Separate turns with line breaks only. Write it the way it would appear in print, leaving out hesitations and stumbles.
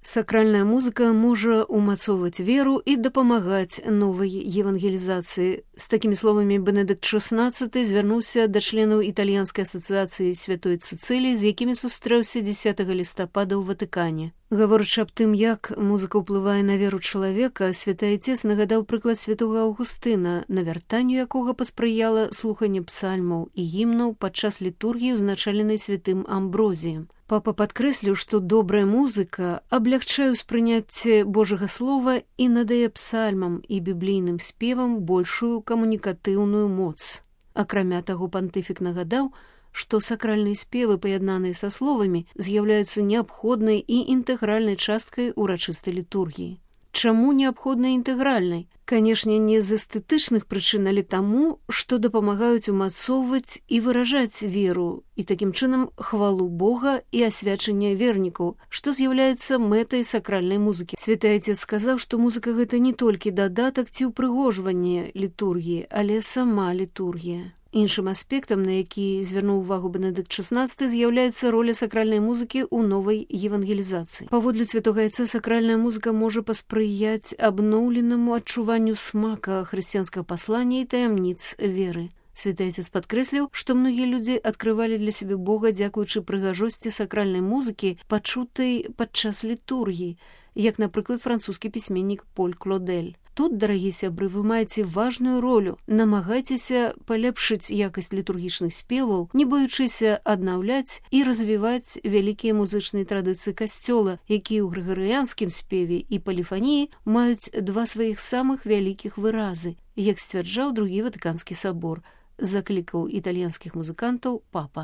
Сакральная музыка можа умацоўваць веру і дапамагаць новай евангелізацыі. З такімі словамі Бенедыкт XVI звярнуўся да членаў італьянскай асацыяцыі святой Цыцыліі, з якімі сустрэўся 10 лістапада ў Ватыкане. Гаворачы аб тым, як музыка ўплывае на веру чалавека, святы Айцец нагадаў прыклад святога Аўгустына, навяртанню якога паспрыяла слуханне псальмаў і гімнаў падчас літургіі, узначаленай святым Амброзіем. Папа падкрэсліў, што добрая музыка аблягчае ўспрыняцце Божага слова і надае псальмам і біблійным спевам большую камунікатыўную моц. Акрамя таго, пантыфік нагадаў, што сакральныя спевы, паяднаныя са словамі, з'яўляюцца неабходнай і інтэгральнай часткай урачыстай літургіі. Чаму неабходнай інтэгральнай? Канешне, не з эстэтычных прычын, але таму, што дапамагаюць умацоўваць і выражаць веру, і такім чынам хвалу Бога і асвячэнне вернікаў, што з'яўляецца мэтай сакральнай музыкі. Святы Айцец сказаў, што музыка гэта не толькі дадатак ці ўпрыгожванне літургіі, але сама літургія. Іншым аспектам, на які звярнуў увагу Бенедыкт XVI, з'яўляецца роля сакральнай музыкі ў новай евангелізацыі. Паводле святога Айца, сакральная музыка можа паспрыяць абноўленаму адчуванню смака хрысціянскага паслання і таямніц веры. Святы Айцец падкрэсліў, што многія людзі адкрывалі для сябе Бога дзякуючы прыгажосці сакральнай музыкі, пачутай падчас літургіі, як, напрыклад, французскі пісьменнік Поль Клодель. Тут, дарагія сябры, вы маеце важную ролю. Намагайцеся паляпшыць якасць літургічных спеваў, не баючыся аднаўляць і развіваць вялікія музычныя традыцыі касцёла, якія ў грыгарыянскім спеве і поліфаніі маюць два сваіх самых вялікіх выразы, як сцвярджаў другі Ватыканскі сабор, заклікаў італьянскіх музыкантаў папа.